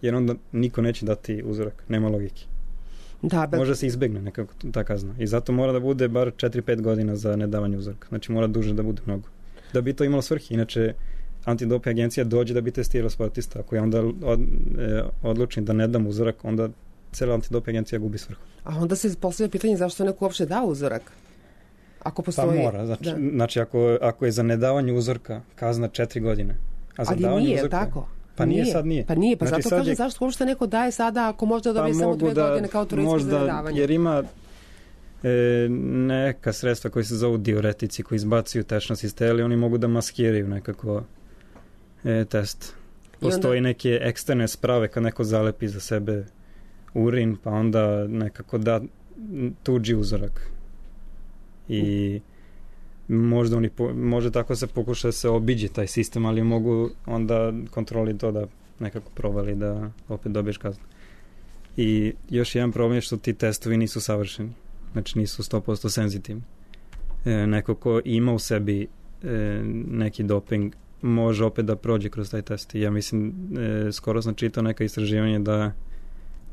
Jer onda niko neće dati uzorak, nema logike. Da, bet... Može se izbegne nekako ta kazna. I zato mora da bude bar četiri pet godina za nedavanje uzorka. Znači mora duže da bude mnogo. Da bi to imalo svrhi. Inače, antidoping agencija dođe da bi testirala sportista. Ako ja onda od, e, odlučim da ne dam uzorak, onda cela antidoping agencija gubi svrhu. A onda se postavlja pitanje zašto neko uopšte da uzorak? Ako postoji... Pa mora. Znači, znači ako, ako je za nedavanje uzorka kazna četiri godine. A za ali nije, uzorka, tako? Pa nije, nije sad nije. Pa nije, pa znači, zato kažem je... zašto uopšte neko daje sada ako možda dobije pa samo dve da, godine kao Troickija za nedavanje. Jer ima e, neka sredstva koji se zovu diuretici koji izbacuju tečnost iz tela i oni mogu da maskiraju nekako e, test. Postoji onda... neke eksterne sprave kad neko zalepi za sebe urin pa onda nekako da tuđi uzorak. I možda oni po, može tako se pokuša da se obiđe taj sistem, ali mogu onda kontroli to da nekako provali da opet dobiješ kaznu. I još jedan problem je što ti testovi nisu savršeni. Znači nisu sto posto senzitivni. E, neko ko ima u sebi e, neki doping može opet da prođe kroz taj test. I ja mislim, e, skoro sam čitao neka istraživanje da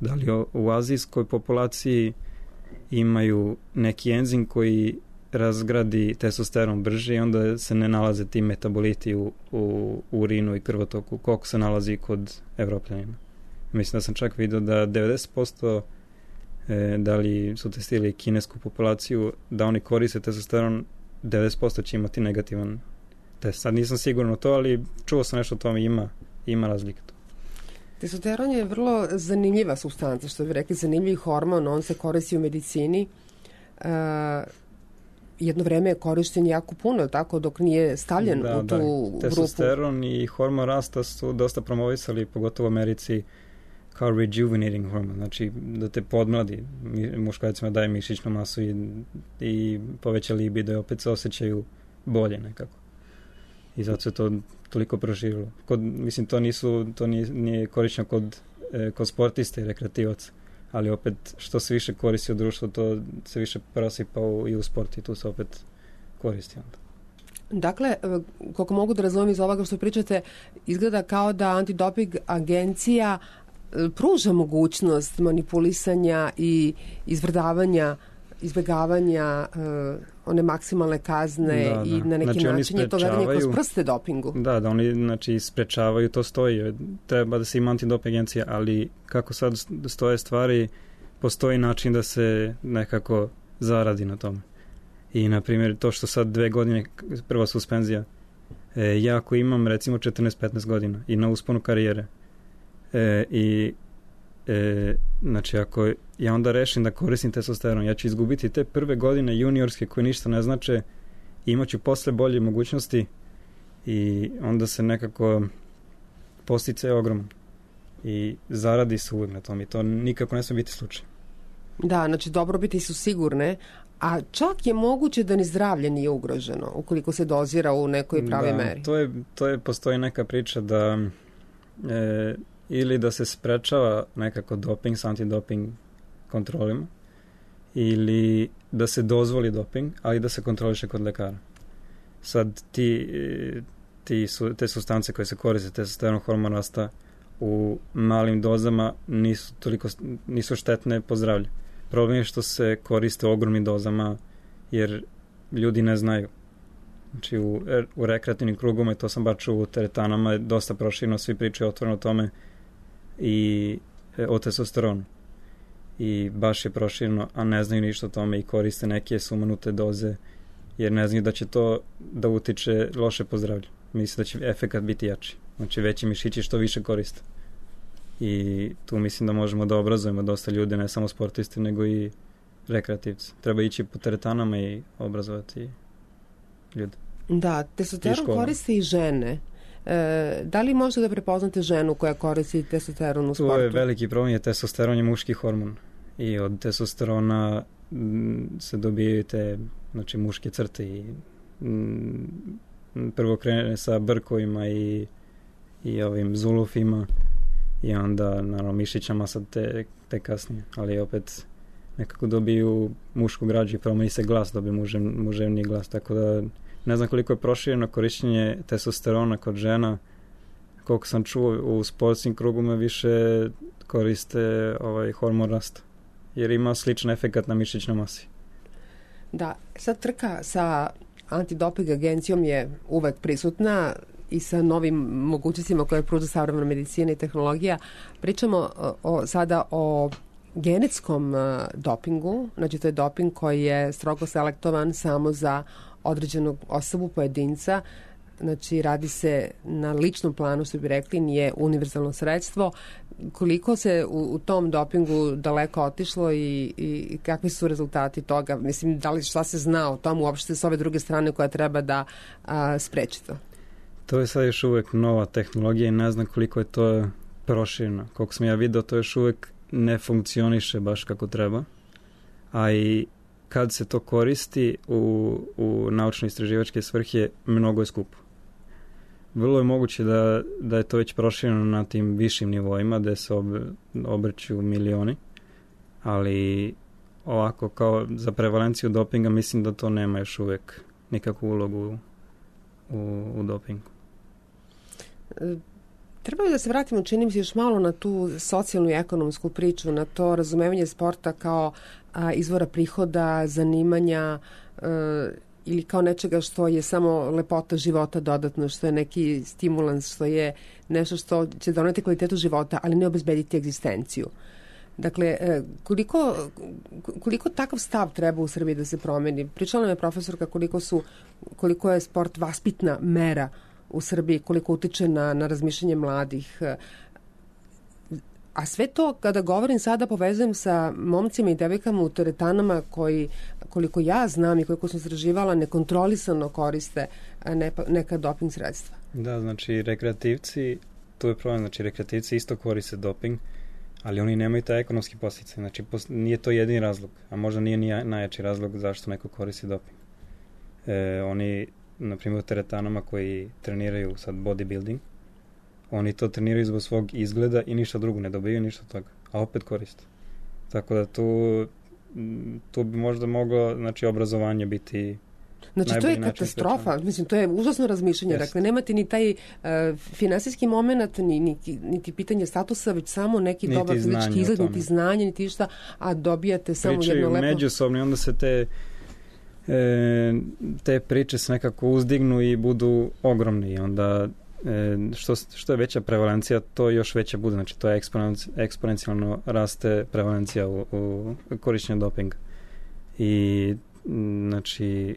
da li u azijskoj populaciji imaju neki enzim koji razgradi testosteron brže i onda se ne nalaze ti metaboliti u, u urinu i krvotoku koliko se nalazi kod Evropljanina. Mislim da sam čak vidio da devedeset posto e, da li su testirali kinesku populaciju da oni koriste testosteron, devedeset posto će imati negativan test. Sad nisam siguran o to, ali čuo sam nešto o tome, ima, ima razlika to. Testosteron je vrlo zanimljiva supstanca, što bi rekli, zanimljiv hormon, on se koristi u medicini. Uh, jedno vreme je korišten jako puno, tako dok nije stavljen da, u tu da. grupu. Testosteron i hormon rasta su dosta promovisali, pogotovo u Americi, kao rejuvenating hormon, znači da te podmladi, muškarcima daje mišićnu masu i, i poveća libido i opet se osjećaju bolje nekako. I zato se to toliko proširilo. Kod, mislim, to nisu, to nije, nije korišćeno kod, e, kod sportista i rekreativaca, ali opet što se više koristi u društvu, to se više prosipa u, i u sport i tu se opet koristi onda. Dakle, koliko mogu da razumijem iz ovoga što pričate, izgleda kao da antidoping agencija pruža mogućnost manipulisanja i izvrdavanja, izbjegavanja uh, one maksimalne kazne da, i da. na neki znači, način je to verenje kroz prste dopingu. Da, da oni znači sprečavaju, to stoji. Treba da se ima antidoping agencija, ali kako sad stoje stvari, postoji način da se nekako zaradi na tome. I, na primjer, to što sad dve godine, prva suspenzija, e, ja ako imam, recimo, četrnaest petnaest godina i na usponu karijere, e, i e, znači, ako ja onda rešim da koristim testosteron, ja ću izgubiti te prve godine juniorske koje ništa ne znače i imat ću posle bolje mogućnosti i onda se nekako postice ogroman i zaradi se uvijek na tom i to nikako ne smije biti slučaj. Da, znači dobrobiti su sigurne, A čak je moguće da ni zdravlje nije ugroženo ukoliko se dozira u nekoj pravi da, meri. To je, to je, postoji neka priča da e, ili da se sprečava nekako doping s antidoping kontrolima ili da se dozvoli doping, ali da se kontroliše kod lekara. Sad ti, ti su, te supstance koje se koriste, testosteron, hormon rasta, u malim dozama nisu toliko nisu štetne po zdravlje. Problem je što se koriste u ogromnim dozama jer ljudi ne znaju. Znači u, u rekreativnim krugama, to sam bar čuo u teretanama, je dosta proširno, svi pričaju otvoreno o tome i e, o testosteronu. I baš je proširno, a ne znaju ništa o tome i koriste neke sumanute doze jer ne znaju da će to da utiče loše po zdravlju. Mislim da će efekat biti jači. Znači veći mišići što više koriste. I tu mislim da možemo da obrazujemo dosta ljudi, ne samo sportisti, nego i rekreativci. Treba ići po teretanama i obrazovati ljude. Da, testosteron koriste i žene. E, da li možete da prepoznate ženu koja koristi testosteron u sportu? Tu je veliki problem, je testosteron je muški hormon. I od testosterona m, se dobijaju te, znači, muške crte i m, prvo krene sa brkovima i, i ovim zulufima i onda naravno mišića masa te, te kasnije, ali opet nekako dobiju mušku građu i promeni se glas, dobije mužev, muževni glas, tako da ne znam koliko je prošireno korišćenje testosterona kod žena. Koliko sam čuo u sportskim kruguma više koriste ovaj hormon rasta jer ima sličan efekat na mišićnoj masi. Da, sad trka sa antidoping agencijom je uvek prisutna i sa novim mogućnostima koje pruža savremena medicina i tehnologija. Pričamo o, o, sada o genetskom uh, dopingu, znači to je doping koji je strogo selektovan samo za određenog osobu, pojedinca, znači radi se na ličnom planu, što bi rekli, nije univerzalno sredstvo. Koliko se u, u tom dopingu daleko otišlo i, i kakvi su rezultati toga? Mislim, da li šta se zna o tom uopšte s ove druge strane koja treba da a, spreči to? To je sad još uvek nova tehnologija i ne znam koliko je to proširno. Koliko sam ja vidio, to još uvek ne funkcioniše baš kako treba. A i kad se to koristi u, u naučno-istraživačke svrhe, mnogo je skupo. Vrlo je moguće da, da je to već prošireno na tim višim nivoima gde se ob, obrću milioni, ali ovako kao za prevalenciju dopinga mislim da to nema još uvek nikakvu ulogu u, u dopingu. Treba da se vratimo, čini mi se, još malo na tu socijalnu i ekonomsku priču, na to razumevanje sporta kao a, izvora prihoda, zanimanja a, ili kao nečega što je samo lepota života dodatno, što je neki stimulans, što je nešto što će doneti kvalitetu života, ali ne obezbediti egzistenciju. Dakle, koliko, koliko takav stav treba u Srbiji da se promeni? Pričala nam je profesorka koliko, su, koliko je sport vaspitna mera u Srbiji, koliko utiče na, na razmišljanje mladih. A sve to, kada govorim sada, povezujem sa momcima i devojkama u teretanama koji, koliko ja znam i koliko sam sraživala, nekontrolisano koriste ne, neka doping sredstva. Da, znači rekreativci, tu je problem, znači rekreativci isto koriste doping, ali oni nemaju taj ekonomski posljedice. Znači nije to jedini razlog, a možda nije ni najjači razlog zašto neko koristi doping. E, oni, na primjer, u teretanama koji treniraju sad bodybuilding, oni to treniraju zbog svog izgleda i ništa drugo, ne dobiju ništa od toga, a opet koriste. Tako da tu, tu bi možda moglo, znači, obrazovanje biti Znači, to je katastrofa. Sprečano. Mislim, to je užasno razmišljanje. Yes. Dakle, nemate ni taj uh, finansijski moment, ni, niti, niti pitanje statusa, već samo neki niti dobar fizički izgled, niti znanje, niti šta, a dobijate samo Pričaju jedno lepo... Pričaju međusobno i onda se te, e, te priče se nekako uzdignu i budu ogromne i onda e, što, što je veća prevalencija, to još veća bude. Znači, to je eksponenci, eksponencijalno raste prevalencija u, u korišćenju dopinga. I, znači,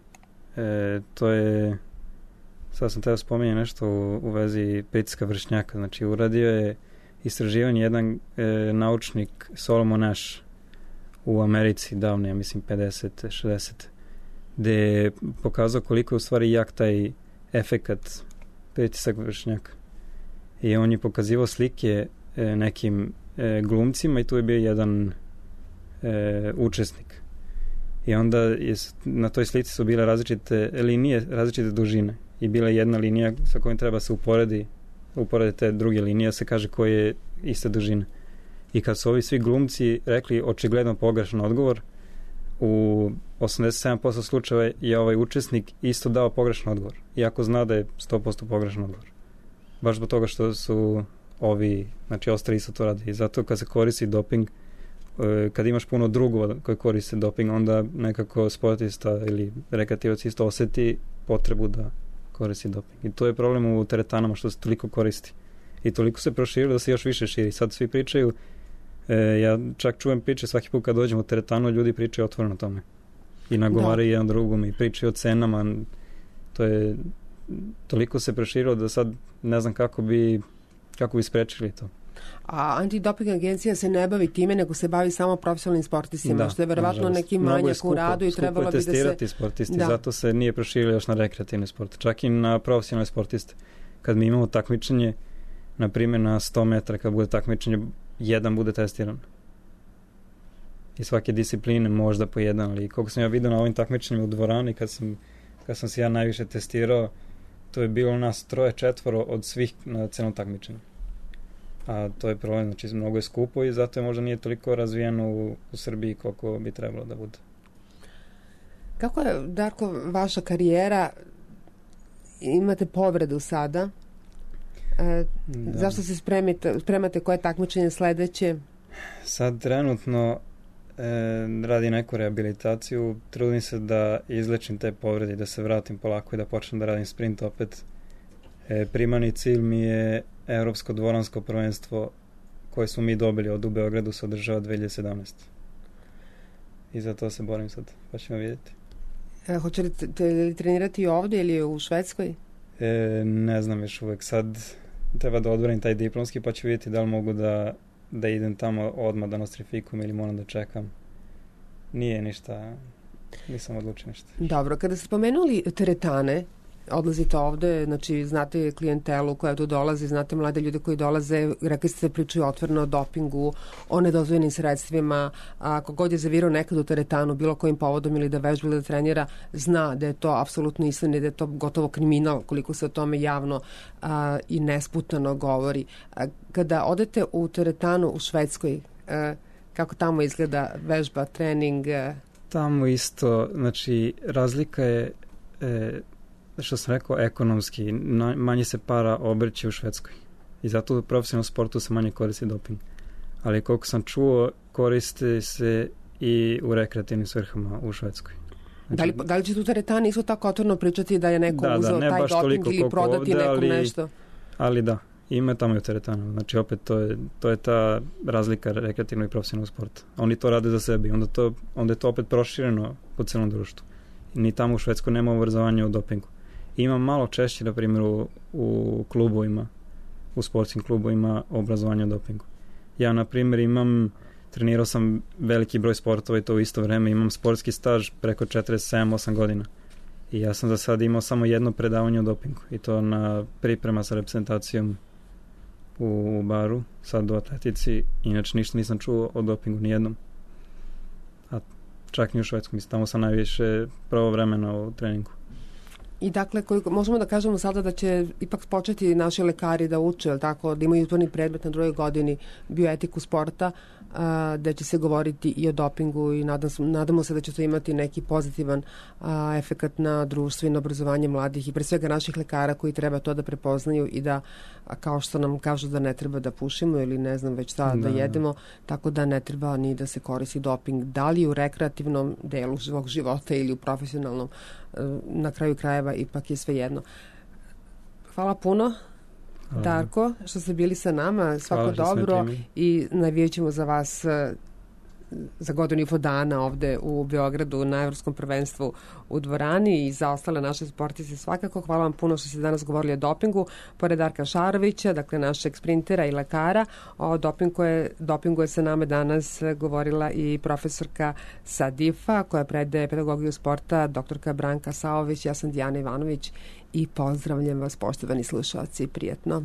E, to je, sad sam teo spomenuti nešto u, u vezi pritiska vršnjaka. Znači, uradio je istraživanje jedan e, naučnik Solomon Asch u Americi davno, ja mislim pedeset šezdeset gde je pokazao koliko je u stvari jak taj efekat pritisak vršnjaka. I on je pokazivao slike e, nekim e, glumcima i tu je bio jedan e, učesnik. I onda je, na toj slici su bile različite linije, različite dužine. I bila je jedna linija sa kojom treba se uporedi, uporedi te druge linije, se kaže koje je iste dužine. I kad su ovi svi glumci rekli očigledno pogrešan odgovor, u osamdeset sedam posto slučajeva je ovaj učesnik isto dao pogrešan odgovor. Iako zna da je sto posto pogrešan odgovor. Baš zbog toga što su ovi, znači ostali isto to radi. I zato kad se koristi doping, kad imaš puno drugova koji koriste doping, onda nekako sportista ili rekreativac isto oseti potrebu da koristi doping. I to je problem u teretanama što se toliko koristi. I toliko se proširilo da se još više širi. Sad svi pričaju, e, ja čak čujem priče svaki put kad dođem u teretanu, ljudi pričaju otvoreno o tome. I nagovaraju jedan drugom i pričaju o cenama. To je, toliko se proširilo da sad ne znam kako bi, kako bi sprečili to. A antidoping agencija se ne bavi time, nego se bavi samo profesionalnim sportistima, da, što je verovatno neki manjak u radu i trebalo bi da se... Skupo je testirati sportisti, da. Zato se nije proširilo još na rekreativne sporte, čak i na profesionalne sportiste. Kad mi imamo takmičenje, na primjer na sto metara, kad bude takmičenje, jedan bude testiran. I svake discipline možda po jedan, ali koliko sam ja vidio na ovim takmičenjima u dvorani, kad sam, kad sam se ja najviše testirao, to je bilo nas troje, četvoro od svih na celom takmičenju. A to je problem, znači mnogo je skupo i zato je možda nije toliko razvijeno u, u Srbiji koliko bi trebalo da bude. Kako je, Darko, vaša karijera? Imate povredu sada. E, zašto se spremite, spremate koje takmičenje sledeće? Sad trenutno e, radim neku rehabilitaciju, trudim se da izlečim te povrede, da se vratim polako i da počnem da radim sprint opet. E, primarni cilj mi je Evropsko dvoransko prvenstvo koje smo mi dobili od u Beogradu, se održava dve hiljade sedamnaeste. I za to se borim sad, pa ćemo vidjeti. E, hoćete li trenirati ovdje ili u Švedskoj? E, ne znam još uvek. Sad treba da odbranim taj diplomski, pa ću vidjeti da li mogu da, da idem tamo odmah da nostrifikujem ili moram da čekam. Nije ništa, nisam odlučio ništa. Dobro, kada ste spomenuli teretane, odlazite ovde, znači znate klijentelu koja tu dolazi, znate mlade ljude koji dolaze, rekli ste pričaju otvoreno o dopingu, o nedozvoljenim sredstvima, ako god je zavirao nekad u teretanu, bilo kojim povodom ili da vežba ili da trenira, zna da je to apsolutno istina i da je to gotovo kriminal, koliko se o tome javno a, i nesputano govori. A, kada odete u teretanu u Švedskoj, a, kako tamo izgleda vežba, trening? A... Tamo isto, znači razlika je e, što sam rekao, ekonomski, manje se para obrće u Švedskoj. I zato u profesionalnom sportu se manje koristi doping. Ali koliko sam čuo, koristi se i u rekreativnim svrhama u Švedskoj. Znači, da, li, da li će tu teretani isto tako otvoreno pričati da je neko da, uzeo da, taj doping ili prodati ovde, nekom ali, nešto? Ali da, ima tamo i u teretanu. Znači opet to je, to je ta razlika rekreativnog i profesionalnog sporta. Oni to rade za sebe. Onda, to, onda je to opet prošireno po celom društvu. I ni tamo u Švedskoj nema obrazovanja o dopingu. Ima malo češće, na primjer, u, u klubovima, u sportskim klubovima obrazovanja o dopingu. Ja, na primjer, imam, trenirao sam veliki broj sportova i to u isto vreme, imam sportski staž preko četrdeset sedam osam godina. I ja sam za sad imao samo jedno predavanje o dopingu i to na priprema sa reprezentacijom u, u baru, sad u atletici. Inače, ništa nisam čuo o dopingu, nijednom. A čak ni u Švedsku, mislim, tamo sam najviše pravo vremena u treningu. I dakle, koliko, možemo da kažemo sada da će ipak početi naši lekari da uče, tako, da imaju utvorni predmet na drugoj godini bioetiku sporta, a, da će se govoriti i o dopingu i nadam, nadamo se da će to imati neki pozitivan a, efekat na društvo i na obrazovanje mladih i pre svega naših lekara koji treba to da prepoznaju i da, a, kao što nam kažu da ne treba da pušimo ili ne znam već šta da, da jedemo, tako da ne treba ni da se koristi doping. Da li u rekreativnom delu svog života ili u profesionalnom, na kraju krajeva ipak je sve jedno. Hvala puno, Darko, što ste bili sa nama. Svako dobro i navijat ćemo za vas za godinu i po dana ovde u Beogradu na Evropskom prvenstvu u dvorani i za ostale naše sportiste svakako. Hvala vam puno što ste danas govorili o dopingu. Pored Darka Šarovića, dakle našeg sprintera i lekara, o dopingu je, dopingu je sa nama danas govorila i profesorka sa D I F-a koja predaje pedagogiju sporta, doktorka Branka Saović. Ja sam Dijana Ivanović i pozdravljam vas, poštovani slušalci. Prijetno.